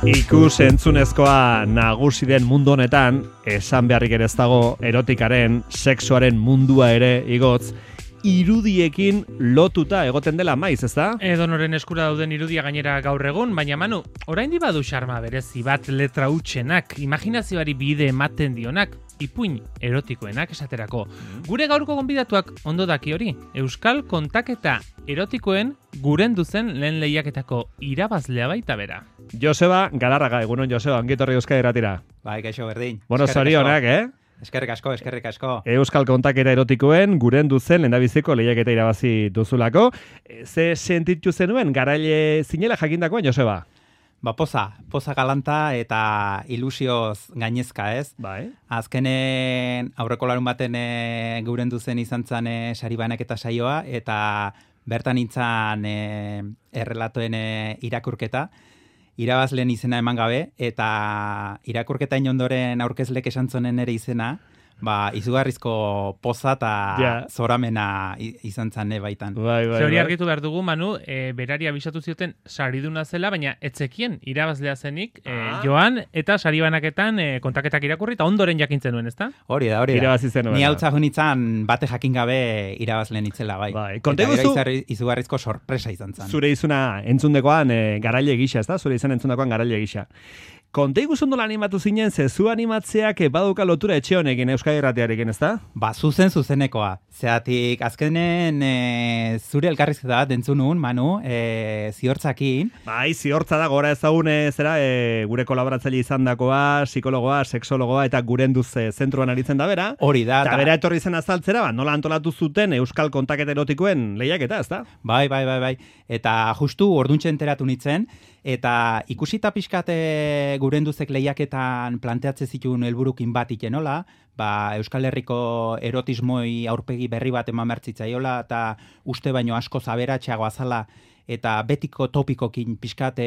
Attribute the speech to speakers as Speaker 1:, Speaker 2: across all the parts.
Speaker 1: Ikus entzunezkoa nagusi den mundu honetan, esan beharrik ere ez dago erotikaren, sexuaren mundua ere igotz, irudiekin lotuta egoten dela maiz, ezta?
Speaker 2: Edonoren eskura dauden irudia gainera gaur egun, baina Manu, oraindik badu xarma berezi bat letra hutsenak, imaginazioari bide ematen dionak, ipuin erotikoenak esaterako. Gure gaurko gonbidatuak ondo daki hori, Euskal kontaketa erotikoen gurendu zen lehen lehiaketako irabazlea baita bera.
Speaker 1: Joseba Galarraga, egunon Joseba, ongitorri Euskadi Irratira.
Speaker 3: Bai, kaixo berdin.
Speaker 1: Bueno, zorionak,
Speaker 3: Eskerrik asko.
Speaker 1: Euskal kontaketa erotikoen gurendu zen lehendabiziko lehiaketa irabazi duzulako. Ze sentitu zenuen garaile zinela jakindakoan, Joseba?
Speaker 3: Poza galanta eta ilusioz gainezka, ez?
Speaker 1: Bai.
Speaker 3: Azkenen aurreko larun baten gurendu zen izan zen sari banaketa saioa, eta bertan nintzen errelatoen irakurketa, irabazleen izena eman gabe, eta irakurketa inondoren aurkezlek esan zonen ere izena, izugarrizko poza eta zoramena izan zen baitan.
Speaker 1: Bai.
Speaker 2: Hori argitu behar dugu, Manu, berari abisatu zioten sariduna zela, baina etzekien irabazlea zenik, joan eta sari banaketan kontaketak irakurri, eta ondoren jakintzen nuen, ezta?
Speaker 3: Hori da.
Speaker 1: Irabazi zenuen.
Speaker 3: Ni hautza junitzen bate jakin gabe irabazleen itzela, bai.
Speaker 1: Konte guzu,
Speaker 3: izugarrizko sorpresa izan zen.
Speaker 1: Zure izuna entzundekoan garaile gisa, ezta? Zure izan entzundekoan garaile gisa. Konte guzundola animatu zinen, zu animatzeak baduka lotura etxe honekin Euskadi Irratiarekin, ezta?
Speaker 3: Zuzenekoa. Zeatik, azkenen zure elkarrizketa bat entzunun, Manu, ziortzakin.
Speaker 1: Bai, ziortza da, gora ezagun gure kolaboratzaile izan dakoa, psikologoa, sexologoa, eta gurenduz zentruan aritzen da bera.
Speaker 3: Hori da.
Speaker 1: Eta bera etorri zen azaltzera, nola antolatu zuten Euskal kontaketa erotikoen lehiaketa, ezta?
Speaker 3: Bai. Eta justu orduntxe enteratu nintzen, eta ikusita pixkat gurenduzek lehiaketan planteatze zituen helburukin bat ikenola, Euskal Herriko erotismoi aurpegi berri bat eman bertzitzaiola, eta uste baino asko zaberatxeagoa zala, eta betiko topikokin pixkat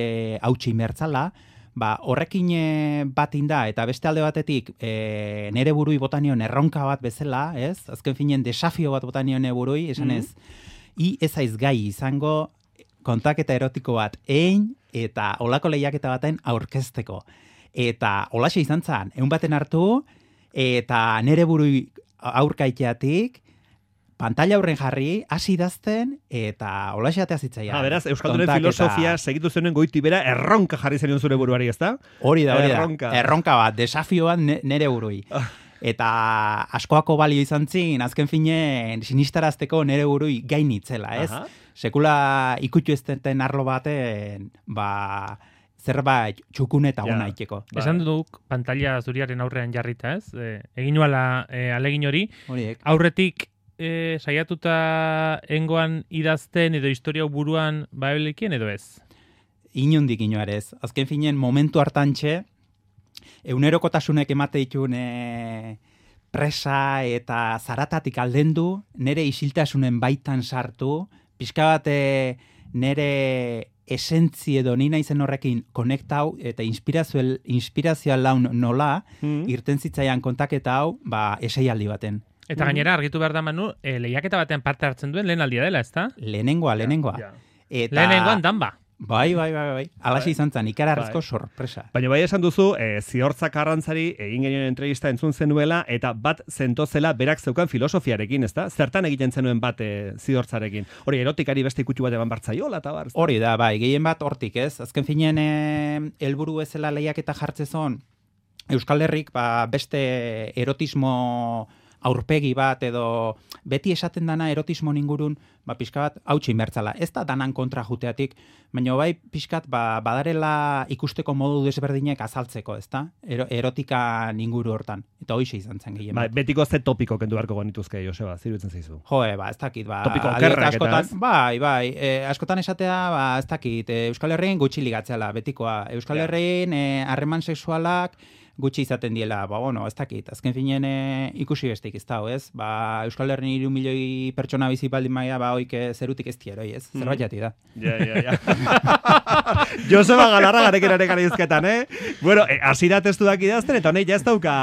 Speaker 3: hautsi mertzala, horrekin batin da, eta beste alde batetik nere burui botanion erronka bat bezala, ez? Azken finen desafio bat botanion burui, esan ez, ez aiz gai izango kontaketa erotiko bat egin, eta olako lehiaketa baten aurkezteko. Eta holaxe izan zen, egun baten hartu, eta nere burui aurkaiteatik, pantalla aurren jarri, hasi idazten, eta holaxe atea zitzaia.
Speaker 1: Beraz, Euskaldunen filosofia segitu zenuen goiti bera, erronka jarri zenion zure buruari, ezta?
Speaker 3: Hori da. Erronka bat, desafioan nere burui. Eta askoako balio izan zin, azken finen sinistarazteko nere burui gainitzela, ez? Sekula ikutu ez den arlo baten, zerbait txukun eta ona iteko.
Speaker 2: Esan duk pantalla zuriaren aurrean jarrita, ez? Egin nuala alegin hori. Aurretik saiatuta engoan idazten edo historia buruan baelikien edo ez?
Speaker 3: Inondik inoarez. Azken finen momentu hartantxe, egunerokotasunek emate ditun presa eta zaratatik aldendu, nere isiltasunen baitan sartu, pixka bat nere esentzi edo nina izen horrekin konektau eta inspirazioa laun nola, irten zitzaian kontaketa hau, eseialdi baten.
Speaker 2: Eta gainera argitu behar da, Manu, lehiaketa batean parte hartzen duen lehen aldia dela, ezta?
Speaker 3: Lehenengoa.
Speaker 2: Lehenengoan danba.
Speaker 3: Bai. Alaxe izan zen, ikararrizko sorpresa.
Speaker 1: Baina bai esan duzu, ziortzak arrantzari egin genioen entrevista entzun zenuela, eta bat zentozela berak zeukan filosofiarekin, ezta? Zertan egiten zenuen bat ziortzarekin? Hori, erotikari beste ikutxu bat eman bartzaiola, eta bar?
Speaker 3: Hori da, bai, gehien bat hortik, ez? Azken finean, helburu ezela lehiaketa jartzezon, Euskal Herrik, beste erotismo aurpegi bat edo beti esaten dana erotismo ingurun pixka bat hautsi mertzala. Ez da danan kontra juteatik, baina bai pixkat badarela ikusteko modu desberdinek azaltzeko, ezta? Erotika inguru hortan. Eta hoixe izan zen gehien.
Speaker 1: Betiko ze topiko kendu beharko genituzke, Joseba, zirutzen zaizu.
Speaker 3: Ez dakit,
Speaker 1: topiko okerrak eta ez?
Speaker 3: Bai, askotan esatea, ez dakit, Euskal Herrien gutxi ligatzela, betikoa. Euskal Herrien harreman sexualak gutxi izaten diela, ez dakit, azken finen ikusi bestik ez dago, ez? Euskal Herrien 3 milioi pertsona bizi baldin maia, oik zerutik ez tieroi, ez? Zerbait jati da.
Speaker 1: Ja. Joseba Galarra garekin izketan, Bueno, asira testuak idazten, eta honek ja ez dauka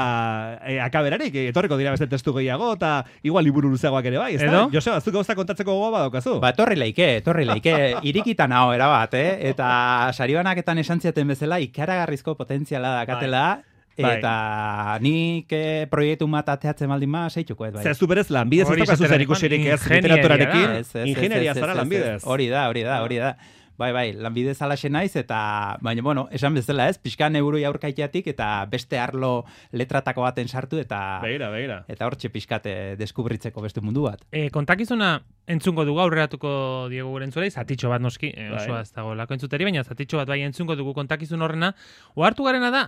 Speaker 1: akaberarik, etorriko dira beste testu gehiago, eta igual liburu luzeagoak ere bai, ez da? Joseba, zuk gauza kontatzeko gogoa badaukazu?
Speaker 3: Ba, torri leike, irikitan hau, erabat, eta saribanaketan esan ziaten bezala, ikaragarrizko potentziala dakatela, eta nik proiektu bat ateatzen baldin ma, seituko ez bai.
Speaker 1: Zezu berez lanbidez ez daukazu zer ikusirik ez literaturarekin, ingenieria zara lanbidez.
Speaker 3: Hori da. Bai, lanbidez alaxe naiz, eta, baina, bueno, esan bezala ez, pixkan euro jaurkaiteatik, eta beste arlo letratako baten sartu, eta
Speaker 1: Begira.
Speaker 3: Eta hortxe pixkate deskubritzeko beste mundu bat.
Speaker 2: Kontakizuna entzungo dugu, aurreratuko Diego gure entzulei, zatitxo bat noski, osoa ez dago lako entzuteri, baina zatitxo bat bai entzungo dugu kontakizun horrena. Ohartu garena da,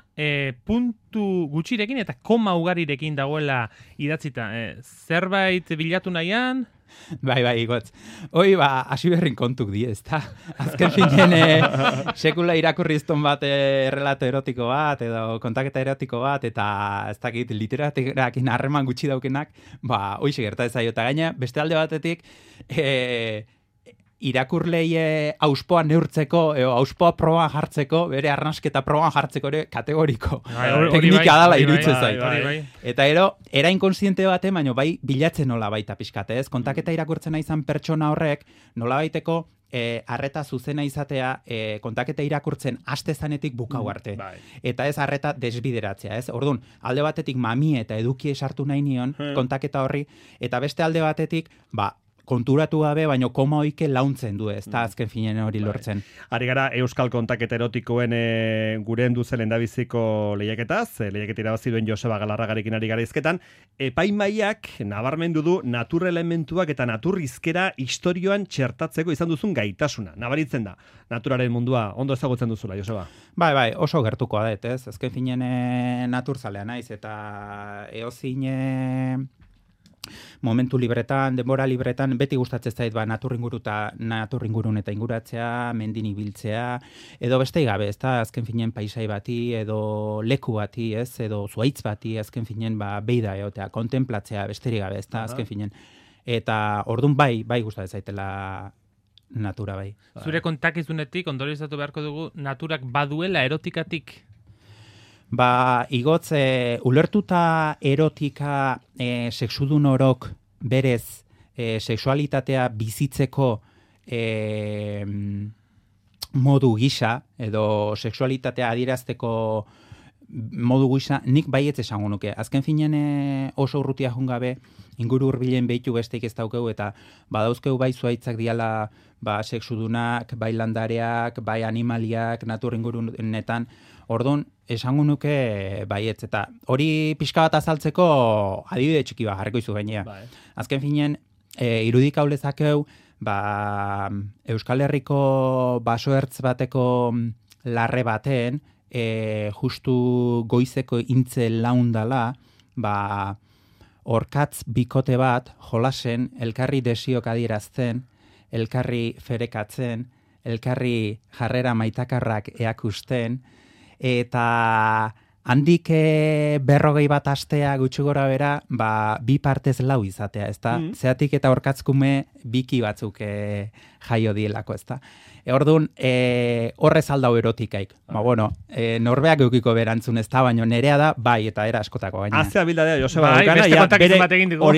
Speaker 2: puntu gutxirekin eta koma ugarirekin dagoela idatzita. Zerbait bilatu nahian?
Speaker 3: Bai, igotz. Hoi, hasi berrin kontuk die, ezta? Azken finen, sekula irakurrizton bat relato erotiko bat, edo kontaketa erotiko bat, eta ez dakit literaturakin harreman gutxi daukenak, hoize gerta ez zaio. Eta gaina, beste alde batetik, irakurlei auspoa neurtzeko, auspoa proban jartzeko, bere arnasketa proban jartzeko ere kategoriko. Teknika dala iruditzen zait. Eta era inkonsiente bate, baina bai bilatzen nola baita pixkate, ez? Kontaketa irakurtzen izan pertsona horrek, nola baiteko arreta zuzena izatea kontaketa irakurtzen haste zanetik bukau arte. Eta ez arreta desbideratzea, ez? Orduan, alde batetik mamie eta edukie sartu nahi nion kontaketa horri, eta beste alde batetik, konturatu gabe, baino koma oike launtzen du, ez da azken finen hori lortzen.
Speaker 1: Ari gara Euskal Kontaketa Erotikoen guren duzen endabiziko lehiaketaz, lehiaketa irabazi duen Joseba Galarragarekin ari gara izketan, epaimaiak nabarmendu du natur elementuak eta naturrizkera istorioan txertatzeko izan duzun gaitasuna. Nabaritzen da, naturaren mundua ondo ezagutzen duzula, Joseba?
Speaker 3: Bai, oso gertuko da, ez? Azken finen naturzalea naiz, eta eozin momentu libretan, denbora libretan, beti gustatzen zait naturingurun eta inguratzea, mendin ibiltzea, edo beste gabe, ez da, azken finen paisai bati, edo leku bati, ez, edo zuaitz bati, azken finen, beida egotea, kontemplatzea, besterik gabe, ez da, azken finen. Eta orduan bai gustatzen zaitela natura bai.
Speaker 2: Zure kontakizunetik, ondorizatu beharko dugu, naturak baduela erotikatik?
Speaker 3: Igotz, ulertuta erotika sexudun orok berez sexualitatea bizitzeko modu gisa, edo sexualitatea adierazteko modu gisa, nik baietz esango nuke. Azken finen oso urrutia jungabe, inguru hurbilen behitu besteik ez daukeu, eta badauzkeu bai zuaitzak diala sexudunak, bai landareak, bai animaliak, natur ingurunetan. Orduan, esango nuke baietz, eta hori pixka bat azaltzeko adibide txiki bat jarriko izu gainea. Azken finen, irudik hau lezakeu, Euskal Herriko basoertz bateko larre baten, justu goizeko intze laundala, orkatz bikote bat, jolasen, elkarri desiok adierazten, elkarri ferekatzen, elkarri jarrera maitakarrak eakusten, eta handik 40 bat astea gutxi gora bera, bi partez lau izatea, ezta? Zeatik eta orkatzkume biki batzuk jaio dielako, ezta? Orduan, horrez aldau erotikaik. Norbeak eukiko berantzun ez da, baina nerea da, bai, eta era askotako gaina.
Speaker 1: Azea bildadea, Joseba,
Speaker 2: beste kontakizun bat egin dugu.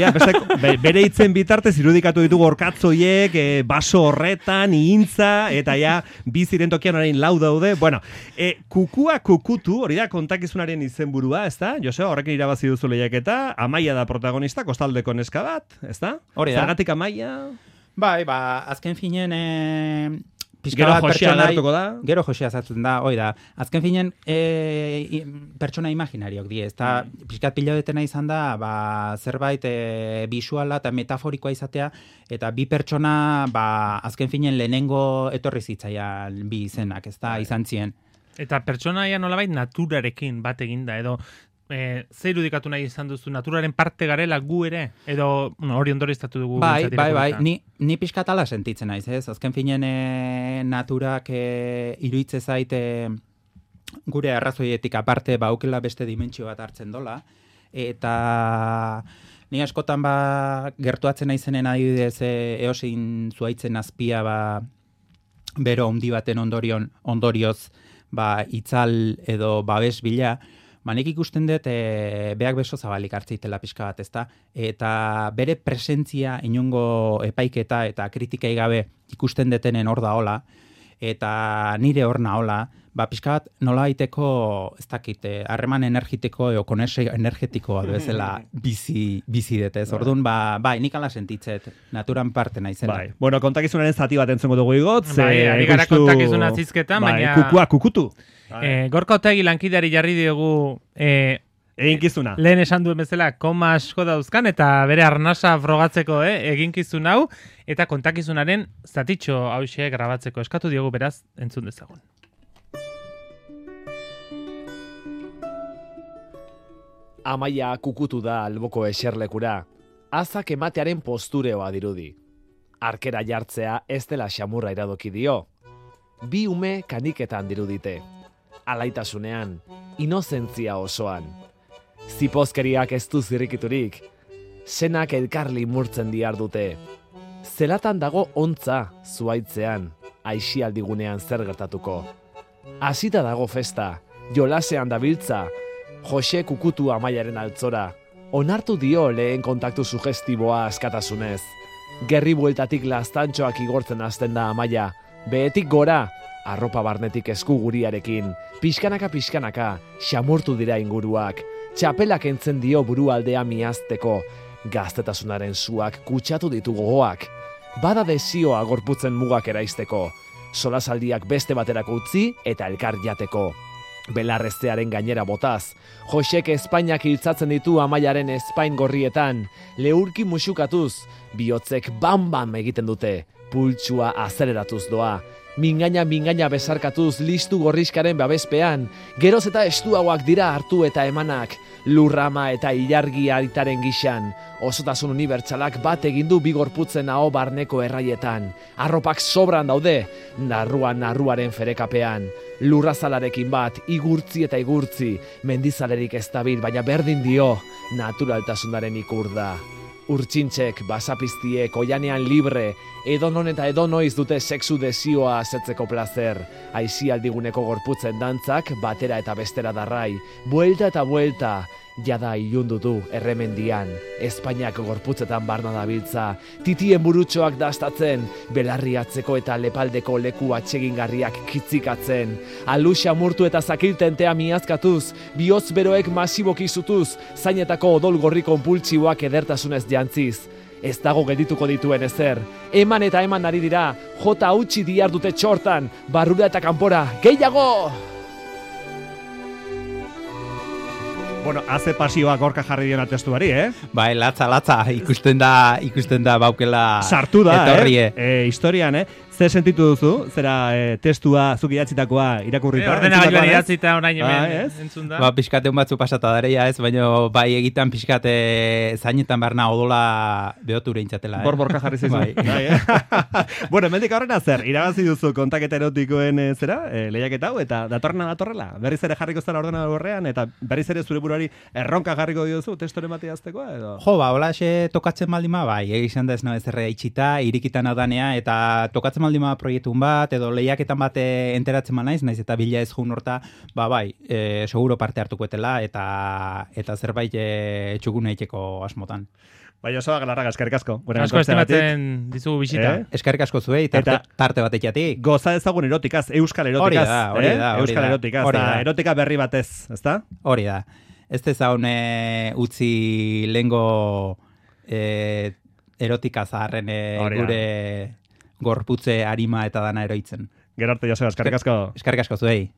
Speaker 1: Bere hitzen bitartez irudikatu ditugu orkatzoiek, baso horretan, ihintza, eta biziren tokian orain lau daude. Bueno, kukua kukutu, hori da kontakizunaren izenburua, ez da? Joseba, horrekin irabazi duzu lehiaketa, Amaia da protagonista, kostaldeko neska bat, ez da?
Speaker 3: Hori da.
Speaker 1: Zergatik Amaia?
Speaker 3: Bai, azken finen...
Speaker 1: Gero Josia agertuko da?
Speaker 3: Gero Josia zartzen da, hoi da. Azken finen, pertsona imaginariok die, ez da, pixkat pilaudetena izan da, zerbait bisuala eta metaforikoa izatea, eta bi pertsona, azken finen lehenengo etorri zitzaian bi izenak, ez da, izan zien.
Speaker 2: Eta pertsonaia nolabait naturarekin bat eginda, edo zer irudikatu nahi izan duzu, naturaren parte garela gu ere, edo hori ondoriztatu dugu.
Speaker 3: Bai, ni pixkat ala sentitzen naiz, ez? Azken finen naturak iruitze zaite gure arrazoietik aparte aukela beste dimentsio bat hartzen dola, eta Ni askotan gertuatzen naizenen adibidez eosin zuaitzen azpia bero handi baten ondorioz itzal edo babes bila, nik ikusten dut beak beso zabalik hartzeitela pixka bat, ezta? Eta bere presentzia inongo epaiketa eta kritikai gabe ikusten detenen hor da hola, eta nire hor nahola, pixka bat nola baiteko, ez dakit, harreman energetiko edo konesio energetikoa bezala bizi detez. Orduan, nik ala sentitzet, naturan parte naizela.
Speaker 1: Bai. Bueno, kontakizunaren zati bat entzungo dugu igotz.
Speaker 2: Ari gara kontakizuna zizketan, baina...
Speaker 1: Kukua, kukutu.
Speaker 2: Gorka Otegi lankideari jarri diogu...
Speaker 1: Eginkizuna.
Speaker 2: Lehen esan duen bezala, koma asko dauzkan, eta bere arnasa frogatzeko eginkizun hau, eta kontakizunaren zatitxo hauxe grabatzeko eskatu diogu beraz entzun dezagun.
Speaker 4: Amaia kukutu da alboko eserlekura, azak ematearen postureoa dirudi. Arkera jartzea ez dela xamurra iradoki dio. Bi ume kaniketan dirudite. Alaitasunean, inozentzia osoan. Zipozkeriak ez du zirrikiturik. Senak elkarli murtzen diar dute. Zelatan dago ontza zuaitzean, aisialdigunean zer gertatuko. Hasita dago festa, jolasean dabiltza, Jose kukutu Amaiaren altzora. Onartu dio lehen kontaktu sugestiboa askatasunez. Gerri bueltatik laztantxoak igortzen hasten da Amaia. Behetik gora, arropa barnetik esku guriarekin. Pixkanaka, xamurtu dira inguruak. Txapelak entzen dio burualdea miazteko. Gaztetasunaren suak kutsatu ditu gogoak. Bada desioa gorputzen mugak eraisteko. Solasaldiak beste baterako utzi eta elkar jateko. Belarreztearen gainera botaz. Josek Espainiak hiltzatzen ditu Amaiaren Espain gorrietan. Leurki musukatuz, bihotzek bam egiten dute. Pultsua azeleratuz doa. Mingaina besarkatuz listu gorriskaren babespean. Geroz eta estuagoak dira hartu eta emanak. Lurrama eta ilargi aritaren gixan. Osotasun unibertsalak bat egindu bigorputzen aho barneko erraietan. Arropak sobran daude, narruaren ferekapean. Lurrazalarekin bat, igurtzi eta igurtzi. Mendizalerik ez dabil, baina berdin dio, naturaltasunaren ikur da. Urtsintxek, basapiztiek, oianean libre, edonon eta edonoiz dute sexu desioa asetzeko plazer. Aisialdiguneko gorputzen dantzak, batera eta bestera darrai. Buelta eta buelta, jada ilundu du erremendian. Espainiak gorputzetan barna dabiltza. Titien burutxoak dastatzen, belarriatzeko eta lepaldeko leku atsegingarriak kitzikatzen. Aluxa murtu eta zakiltentea miazkatuz, bihotz beroek masiboki zutuz, zainetako odol gorri konpultsioak edertasunez jantziz. Ez dago geldituko dituen ezer. Eman eta eman ari dira, jota utzi diar dute txortan, barrura eta kanpora, gehiago!
Speaker 1: Bueno, haze pasioa gorka jarri diona testuari,
Speaker 3: Bai, latza, ikusten da baukela
Speaker 1: sartu da,
Speaker 3: etorrie.
Speaker 1: Historian, Zer sentitu duzu? Zera testua zuk idatzitakoa irakurrita?
Speaker 2: Ordenagailuan idatzita orain hemen entzun da.
Speaker 3: Pixkateun batzu pasata dareia ez, baina bai egitan pixkate zainetan barna odola behoture intzatela.
Speaker 1: Borborka jarri zizu. Bueno, hemendik aurrena zer, irabazi duzu kontaketa erotikoen lehiaketa hau, eta datorrela. Berriz ere jarriko zara ordenagailuan eta berriz ere zure buruari erronka jarriko diozu testoren bati aztekoa edo?
Speaker 3: Jo, holaxe tokatzen baldima bai, egizan da ez nabe zerre itxita, irikitan adanea, eta tokatzen baldima proiektun bat, edo lehiaketan bat enteratzen naiz eta bila ez jun horta, bai, seguro parte hartuko etela, eta zerbait txukun eiteko asmotan.
Speaker 1: Bai, oso galarraga, eskerrik asko.
Speaker 2: Asko estimatzen dizugu bisita.
Speaker 3: Eskerrik asko zuei, tarte bat etiatik.
Speaker 1: Goza ezagun erotikaz, euskal erotikaz.
Speaker 3: Hori da.
Speaker 1: Euskal erotikaz, erotika berri batez, ezta?
Speaker 3: Hori da. Ez dezaun utzi lengo erotika zaharren gure gorputze arima eta dana eroitzen.
Speaker 1: Gerarte, Joseba, eskerrik asko.
Speaker 3: Eskerrik asko zuei.